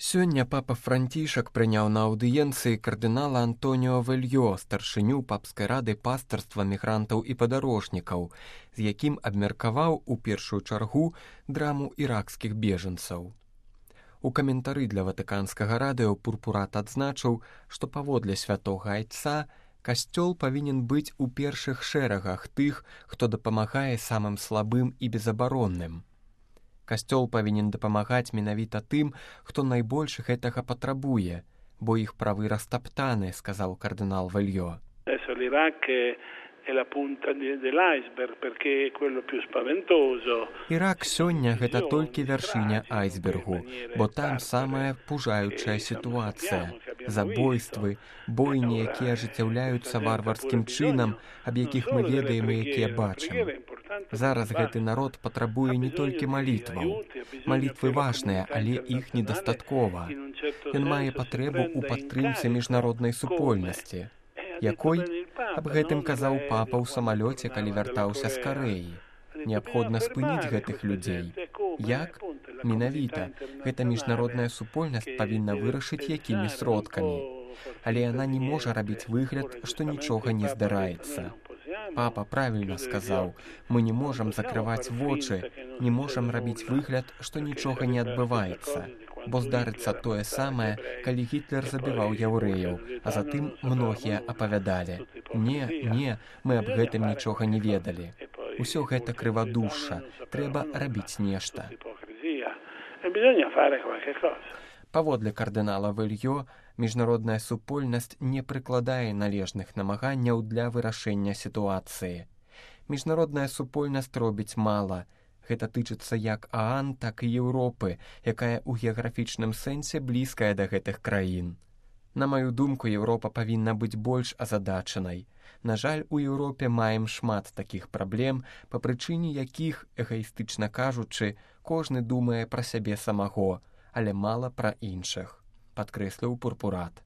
Сёння папа Францішак прыняў на аўдыенцыі кардынала Антоніо Вельё, старшыню папскай рады пастарства мігрантаў і падарожнікаў, з якім абмеркаваў у першую чаргу драму іракскіх бежанцаў. У каментары для ватыканскага радыё Пурпурат адзначыў, што паводле святога айца касцёл павінен быць у першых шэрагах тых, хто дапамагае самым слабым і безабаронным. Касцёл павінен дапамагаць менавіта тым, хто найбольш гэтага патрабуе, бо іх правы растаптаны, сказаў кардынал Вельё. Ірак сёння гэта толькі вяршыня айсбергу, бо там самая пужаючая сітуацыя. Забойствы, бойні, якія ажыццяўляюцца варварскім чынам, аб якіх мы ведаем і якія бачым. Зараз гэты народ патрабуе не толькі малітваў. Малітвы важныя, але іх недастаткова. Ён мае патрэбу ў падтрымцы міжнароднай супольнасці. Якой? Аб гэтым казаў папа ў самалёце, калі вяртаўся з Карэі. Неабходна спыніць гэтых людзей. Як? Менавіта, гэта міжнародная супольнасць павінна вырашыць, якімі сродкамі. Але яна не можа рабіць выгляд, што нічога не здараецца. Папа правільна сказаў, мы не можам закрываць вочы, не можам рабіць выгляд, што нічога не адбываецца, бо здарыцца тое самае, калі Гітлер забіваў яўрэяў, а затым многія апавядалі. Не, мы аб гэтым нічога не ведалі. Усё гэта крывадушша, трэба рабіць нешта. Паводле кардынала Вельё, міжнародная супольнасць не прыкладае належных намаганняў для вырашэння сітуацыі. Міжнародная супольнасць робіць мала. Гэта тычыцца як ААН, так і Еўропы, якая ў геаграфічным сэнсе блізкая да гэтых краін. На маю думку, Еўропа павінна быць больш азадачанай. На жаль, у Еўропе маем шмат такіх праблем, па прычыне якіх, эгаістычна кажучы, кожны думае пра сябе самого, але мала пра іншых, падкрэсліў Пурпурат.